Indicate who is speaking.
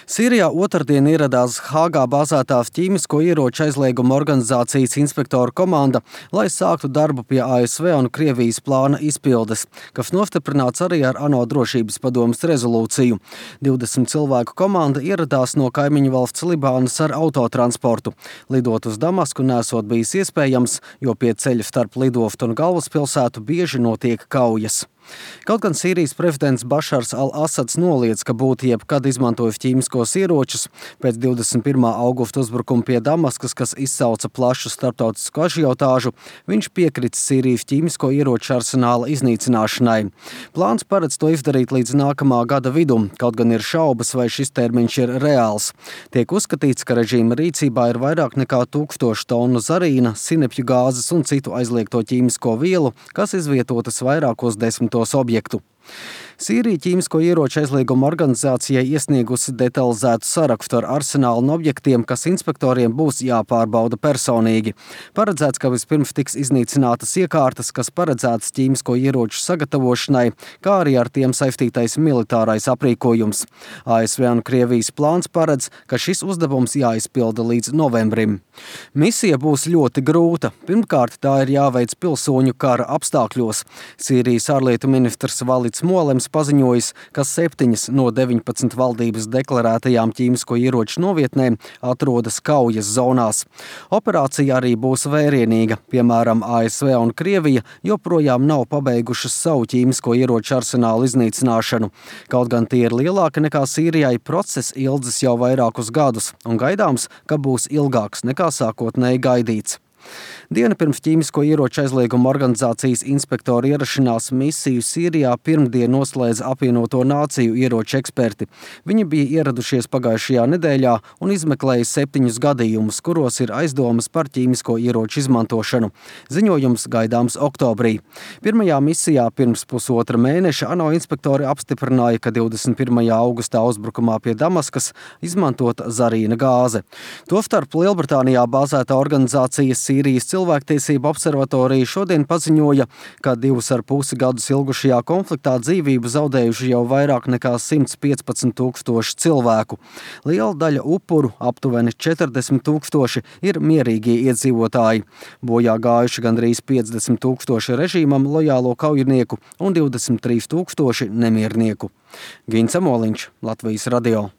Speaker 1: Sīrijā otrdien ieradās Hāgā bāzētā ķīmisko ieroču aizlieguma organizācijas inspektoru komanda, lai sāktu darbu pie ASV un Krievijas plāna izpildes, kas nostiprināts arī ar ANO drošības padomes rezolūciju. 20 cilvēku komanda ieradās no kaimiņu valsts Libānas ar autotransportu. Lidot uz Damasku nesot bijis iespējams, jo pie ceļa starp lidoftu un galvaspilsētu bieži notiek kaujas. Kaut gan Sīrijas prezidents Bašars al-Asads noliedz, ka būtu jebkad izmantojis ķīmiskos ieročus, pēc 21. augusta uzbrukuma pie Damaskas, kas izsauca plašu starptautisku ažiotāžu, viņš piekrits Sīrijas ķīmisko ieroču arsenāla iznīcināšanai. Plāns paredz to izdarīt līdz nākamā gada vidum, kaut gan ir šaubas, vai šis termiņš ir reāls. Tiek uzskatīts, ka režīma rīcībā ir vairāk nekā 1000 tonu zarīna, sinepju gāzes un citu aizliegto ķīmisko vielu, kas izvietotas vairākos desmitos objektu. Sīrija ķīmisko ieroču aizlieguma organizācijai iesniegusi detalizētu sarakstu ar arsenālu un objektiem, kas inspektoriem būs jāpārbauda personīgi. Paredzēts, ka vispirms tiks iznīcinātas iekārtas, kas paredzētas ķīmisko ieroču sagatavošanai, kā arī ar tiem saistītais militārais aprīkojums. ASV un Krievijas plāns paredz, ka šis uzdevums jāizpilda līdz novembrim. Misija būs ļoti grūta. Pirmkārt, tā ir jāveic pilsoņu kara apstākļos. Sīrijas ārlietu ministrs Valids Molems paziņojis, ka 7 no 19 valdības deklarētajām ķīmisko ieroču novietnēm atrodas kaujas zonās. Operācija arī būs vērienīga, piemēram, ASV un Krievija joprojām nav pabeigušas savu ķīmisko ieroču arsenālu iznīcināšanu. Kaut gan tie ir lielāki nekā Sīrijai, process ilgs jau vairākus gadus un gaidāms, ka būs ilgāks nekā sākotnēji gaidīts. Diena pirms ķīmisko ieroču aizlieguma organizācijas inspektoru ierašanās misiju Sīrijā pirmdien noslēdza apvienoto nāciju ieroču eksperti. Viņi bija ieradušies pagājušajā nedēļā un izmeklēja 7 gadījumus, kuros ir aizdomas par ķīmisko ieroču izmantošanu. Ziņojums gaidāms oktobrī. Pirmajā misijā pirms pusotra mēneša ANO inspektori apstiprināja, ka 21. augustā uzbrukumā pie Damaskas izmantota zarīna gāze. Tostarp Lielbritānijā bāzēta organizācija Sīrijas cilvēktiesību observatorija šodien paziņoja, ka 2,5 gadus ilgušajā konfliktā dzīvību zaudējuši jau vairāk nekā 115 000 cilvēku. Liela daļa upuru, aptuveni 40 000, ir mierīgie iedzīvotāji. Bojā gājuši gandrīz 50 000 režīmam lojālo kaujinieku un 23 000 nemiernieku. Gins Amoliņš, Latvijas radio.